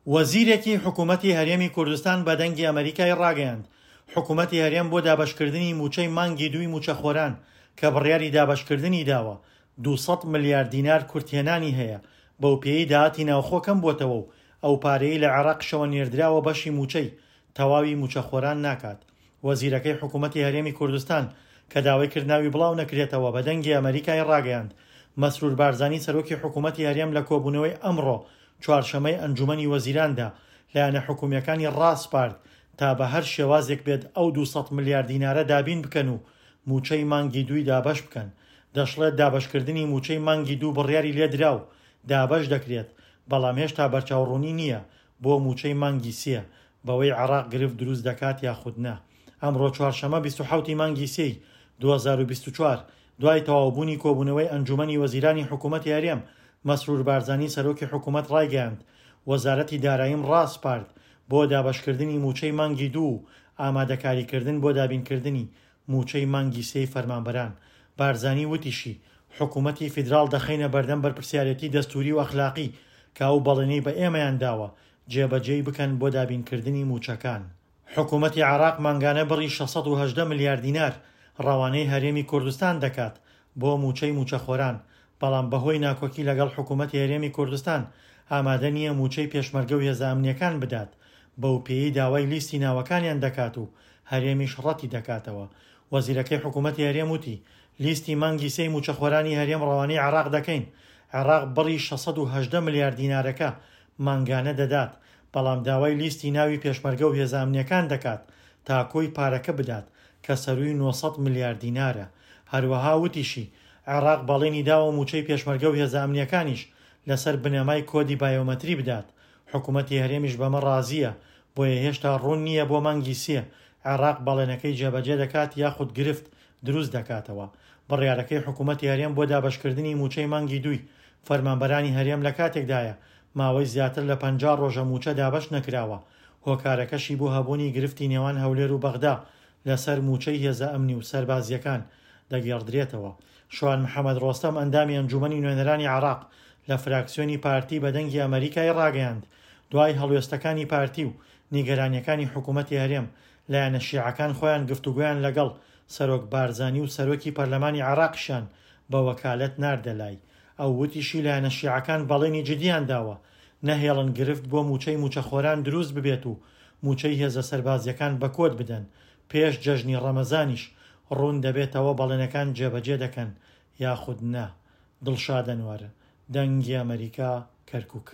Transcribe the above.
وەزیرێکی حکومەتی هەرێمی کوردستان بە دەنگی ئەمەریکای ڕاگەیاند، حکومەتی هەرێم بۆ دابەشکردنی مووچەی مانگی دووی مووچەخۆران کە بڕیاری دابەشکردنی داوە، 200 ملیار دینار کورتهێنانی هەیە، بەوپێیەی داهاتی ناوخۆ کەمبووەتەوە و ئەو پارەیەی لە عێراقیشەوە نێردراوە بەشی مووچەی تەواوی مووچەخۆران ناکات. وەزیرەکەی حکومەتی هەرێمی کوردستان کە داوای کرد ناوی بڵاو نەکرێتەوە بە دەنگی ئەمەریکای ڕاگەیاند، مەسرور بارزانی سەرۆکی حکومەتی هەرێم لە کۆبوونەوەی ئەمڕۆ چوارشەمەی ئەنجومەنی وەزیراندا لایەنە حکومییەکانی ڕاسپارد تا بە هەر شێوازێک بێت ئەو 200 ملیار دینارە دابین بکەن و مووچەی مانگی دووی دابەش بکەن. دەشڵێت دابەشکردنی مووچەی مانگی دوو بڕیاری لێدرا و دابەش دەکرێت، بەڵام هێشتا بەرچاوڕوونی نییە بۆ مووچەی مانگی سێ بەوەی عێراق گرفت دروست دەکات یاخود نا. ئەمڕۆ چوارشەمە 27 ی مانگی سێی 2024، دوای تەواوبوونی کۆبوونەوەی ئەنجوومەنی وەزیرانی حکوومەتی هەرێم، مەسرور بارزانی سەرۆکی حکوومەت ڕایگەیاند، وەزارەتی داراییم ڕاسپارد بۆ دابەشکردنی مووچەی مانگی دوو و ئامادەکاریکردن بۆ دابینکردنی مووچەی مانگی سێی فەرمانبەران. بارزانی وتیشی، حکوومەتی فیدراڵ دەخەینە بەردەم بەرپرسیارێتی دەستووری و ئەخلاقی کە ئەو بەڵێنەی بە ئێمەیان داوە جێبەجێی بکەن بۆ دابینکردنی مووچەکان. حکومەتی عێراق مانگانە بڕی 618 ملیار دینار ڕەوانەی هەرێمی کوردستان دەکات بۆ مووچەی مووچەخۆران، بەڵام بەهۆی ناکۆکی لەگەڵ حکومەتی هەرێمی کوردستان ئامادە نییە مووچەی پێشمەرگە و هێزە ئەمنییەکان بدات، بەوپێیەی داوای لیستی ناوەکانیان دەکات و هەرێمیش ڕەتی دەکاتەوە. وەزیرەکەی حکومەتی هەرێم وتی، لیستی مانگی سێی مووچەخۆرانی هەرێم ڕەوانەی عێراق دەکەین، عێراق بڕی 618 ملیار دینارەکە مانگانە دەدات، بەڵام داوای لیستی ناوی پێشمەرگە و هێزە ئەمنییەکان دەکات تا کۆی پارەکە بدات کە سەرووی 900 ملیار دینارە. هەروەها وتیشی، عێراق بەڵێنی داوە مووچەی پێشمەرگە و هێزە ئەمنییەکانیش لەسەر بنەمای کۆدی بایۆمەتری بدات، حکومەتی هەرێمیش بەمە ڕازییە، بۆیە هێشتا ڕوون نییە بۆ مانگی سێ عێراق بەڵێنەکەی جێبەجێ دەکات یاخود گرفت دروست دەکاتەوە. بڕیارەکەی حکومەتی هەرێم بۆ دابەشکردنی مووچەی مانگی دووی فەرمانبەرانی هەرێم لە کاتێکدایە ماوەی زیاتر لە 50 ڕۆژە مووچە دابەش نەکراوە، هۆکارەکەشی بۆ هەبوونی گرفتی نێوان هەولێر و بەغدا لەسەر مووچەی هێزە ئەمنی و سەربازییەکان دەگێڕدرێتەوە. شوان محەمەد ڕۆستەم ئەندامی ئەنجوومەنی نوێنەرانی عێراق لە فراکسیۆنی پارتی بە دەنگی ئەمەریکای ڕاگەیاند، دوای هەڵوێستەکانی پارتی و نیگەرانییەکانی حکوومەتی هەرێم، لایەنە شیعەکان خۆیان گفتوگۆیان لەگەڵ سەرۆک بارزانی و سەرۆکی پەرلەمانی عێراقیشیان بە وەکالەت ناردە لای. ئەو وتیشی لایەنە شیعەکان بەڵێنی جدییان داوە نەهێڵن گرفت بۆ مووچەی مووچەخۆران دروست ببێت و مووچەی هێزە سەربازییەکان بە کۆد بدەن، پێش جەژنی ڕەمەزانیش ڕوون دەبێتەوە بەڵێنەکان جێبەجێ دەکەن یاخود نا. دڵشاد ئەنوەر، دەنگی ئەمەریکا، کەرکوک.